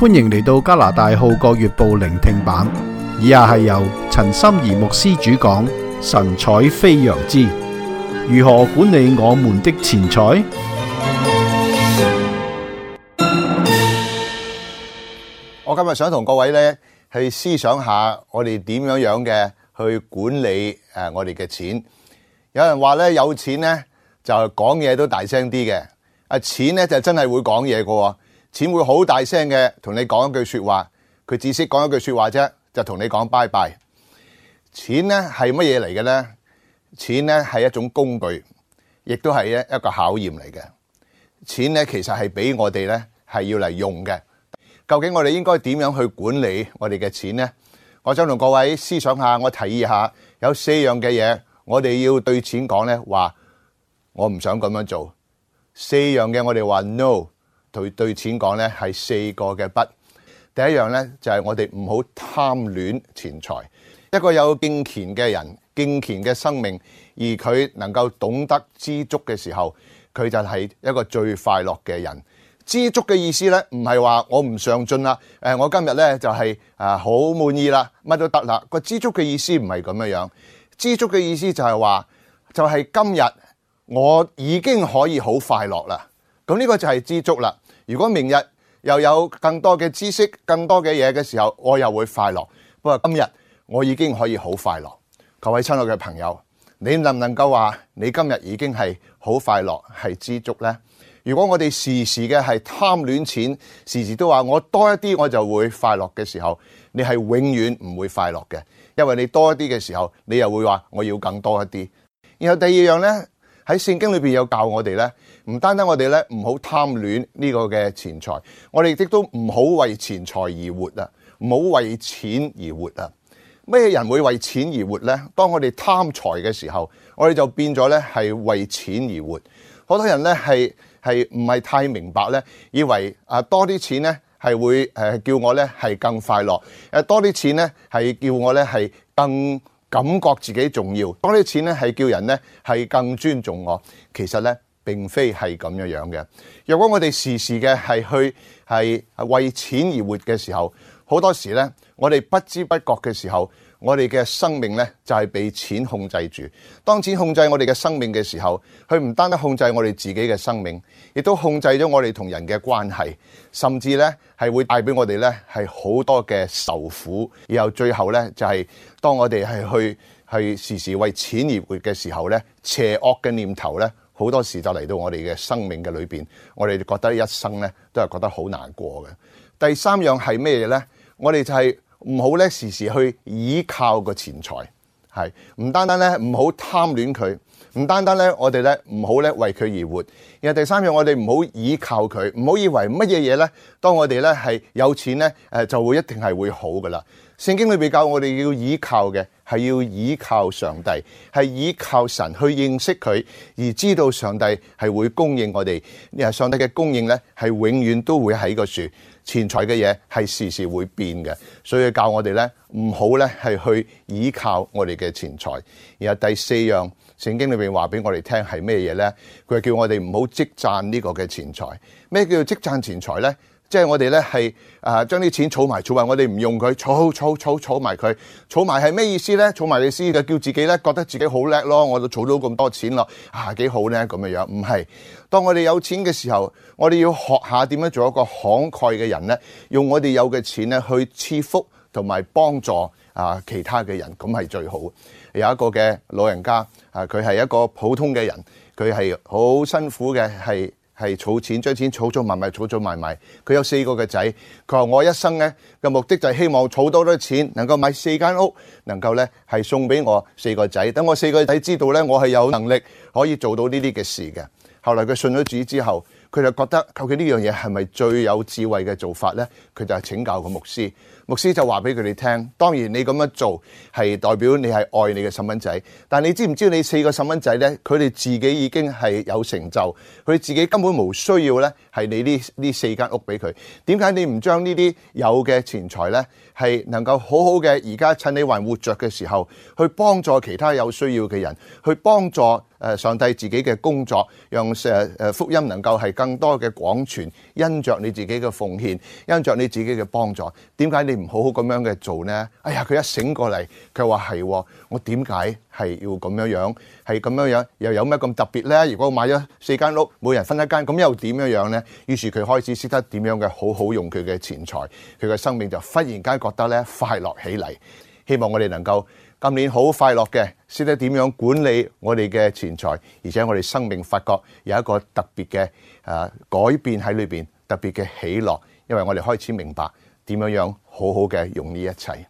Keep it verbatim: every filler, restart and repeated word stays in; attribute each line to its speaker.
Speaker 1: 歡迎嚟到加拿大《號角月報》聆聽版，以下係由陳心怡牧師主講神采飛揚之如何管理我們的錢財。
Speaker 2: 我今日想同各位咧去思想下，我哋點樣樣嘅去管理誒我哋嘅錢。有人話咧，有錢咧就講嘢都大聲啲嘅，啊錢咧就真係會講嘢嘅，錢會好大聲嘅同你講一句說話，佢只識講一句說話啫，就同你講拜拜。錢咧係乜嘢嚟嘅咧？錢咧係一種工具，亦都係一一個考驗嚟嘅。錢咧其實係俾我哋咧係要嚟用嘅。究竟我哋應該點樣去管理我哋嘅錢呢？我想同各位思想下，我提議下有四樣嘅嘢，我哋要對錢講咧，話我唔想咁樣做。四樣嘅我哋話 no， 對對錢講咧係四個嘅不。第一樣咧就係我哋唔好貪戀錢財。一個有敬虔嘅人，敬虔嘅生命，而佢能夠懂得知足嘅時候，佢就係一個最快樂嘅人。知足嘅意思咧，唔係話我唔上進啦，誒，我今日咧就係啊好滿意啦，乜都得啦。個知足嘅意思唔係咁樣樣，知足嘅意思就係話，就係今日我已經可以好快樂啦。咁呢個就係知足啦。如果明日又有更多嘅知識、更多嘅嘢嘅時候，我又會快樂。不過今日我已經可以好快樂。各位親愛嘅朋友，你能唔能夠話你今日已經係好快樂，係知足呢？如果我哋時時嘅係貪戀錢，時時都話我多一啲我就會快樂嘅時候，你係永遠唔會快樂嘅，因為你多一啲嘅時候，你又會話我要更多一啲。然後第二樣呢，喺聖經裏邊有教我哋呢，唔單單我哋呢唔好貪戀呢個嘅錢財，我哋亦都唔好為錢財而活啊，唔好為錢而活啊。咩人會為錢而活呢？當我哋貪財嘅時候，我哋就變咗呢係為錢而活。好多人呢係。係唔係太明白咧？以為啊多啲錢咧係會誒叫我咧係更快樂，誒多啲錢咧係叫我咧係更感覺自己重要，多啲錢咧係叫人咧係更尊重我。其實咧並非係咁樣樣嘅。若果我哋時時嘅係去係為錢而活嘅時候，好多時咧我哋不知不覺嘅時候，我哋嘅生命咧就係被錢控制住。當錢控制我哋嘅生命嘅時候，佢唔單單控制我哋自己嘅生命，亦都控制咗我哋同人嘅關係，甚至咧係會帶俾我哋咧係好多嘅受苦。然後最後咧就係當我哋係去去時時為錢而活嘅時候咧，邪惡嘅念頭咧好多時就嚟到我哋嘅生命嘅裏邊，我哋覺得一生咧都係覺得好難過嘅。第三樣係咩嘢咧？我哋就係唔好咧時時去依靠個錢財，係唔單單咧唔好貪戀佢，唔單單咧我哋咧唔好咧為佢而活。然後第三樣，我哋唔好依靠佢，唔好以為乜嘢嘢咧，當我哋咧係有錢咧誒就會一定係會好噶啦。聖經裏邊教我哋要依靠嘅係要依靠上帝，係依靠神去認識佢，而知道上帝係會供應我哋。上帝嘅供應咧係永遠都會喺個樹。錢財嘅嘢係時時會變嘅，所以教我哋咧唔好咧係去依靠我哋嘅錢財。然後第四樣，聖經裏邊話俾我哋聽係咩嘢咧？佢係叫我哋唔好積賺呢個嘅錢財。咩叫做積賺錢財咧？即係我哋咧係啊將啲錢儲埋儲埋，我哋唔用佢，儲儲儲儲埋佢，儲埋係咩意思咧？儲埋嘅意思就叫自己咧覺得自己好叻咯，我都儲到咁多錢咯，啊幾好咧咁嘅樣。唔係，當我哋有錢嘅時候，我哋要學下點樣做一個慷慨嘅人咧，用我哋有嘅錢咧去賜福同埋幫助啊其他嘅人，咁係最好。有一個嘅老人家啊，佢係一個普通嘅人，佢係好辛苦嘅，係。係儲錢，將錢儲儲埋埋，儲儲埋埋。佢有四個嘅仔，佢話我一生咧嘅目的就係希望儲多啲錢，能夠買四間屋，能夠咧係送俾我四個仔。等我四個仔知道咧，我係有能力可以做到呢啲嘅事嘅。後來佢信咗主之後，佢就覺得究竟呢樣嘢係咪最有智慧嘅做法咧？佢就係請教個牧師。牧師就話俾佢哋聽，當然你咁樣做係代表你係愛你嘅細蚊仔，但你知唔知你四個細蚊仔呢？佢哋自己已經係有成就，佢自己根本冇需要呢係你呢呢四間屋俾佢。點解你唔將呢啲有嘅錢財呢，係能夠好好嘅而家趁你還活着嘅時候，去幫助其他有需要嘅人，去幫助誒上帝自己嘅工作，讓誒誒福音能夠係更多嘅廣傳，因着你自己嘅奉獻，因着你自己嘅幫助。點解你唔好好咁樣嘅做呢？哎呀，佢一醒過嚟，佢話係，我點解係要咁樣樣？係咁樣樣，又有咩咁特別呢？如果我買咗四間屋，每人分一間，咁又點樣樣呢？於是佢開始識得點樣嘅好好用佢嘅錢財，佢嘅生命就忽然間覺得咧快樂起嚟。希望我哋能夠今年好快樂嘅，識得點樣管理我哋嘅錢財，而且我哋生命發覺有一個特別嘅誒改變喺裏邊，特別嘅喜樂，因為我哋開始明白點樣樣好好嘅用呢一切。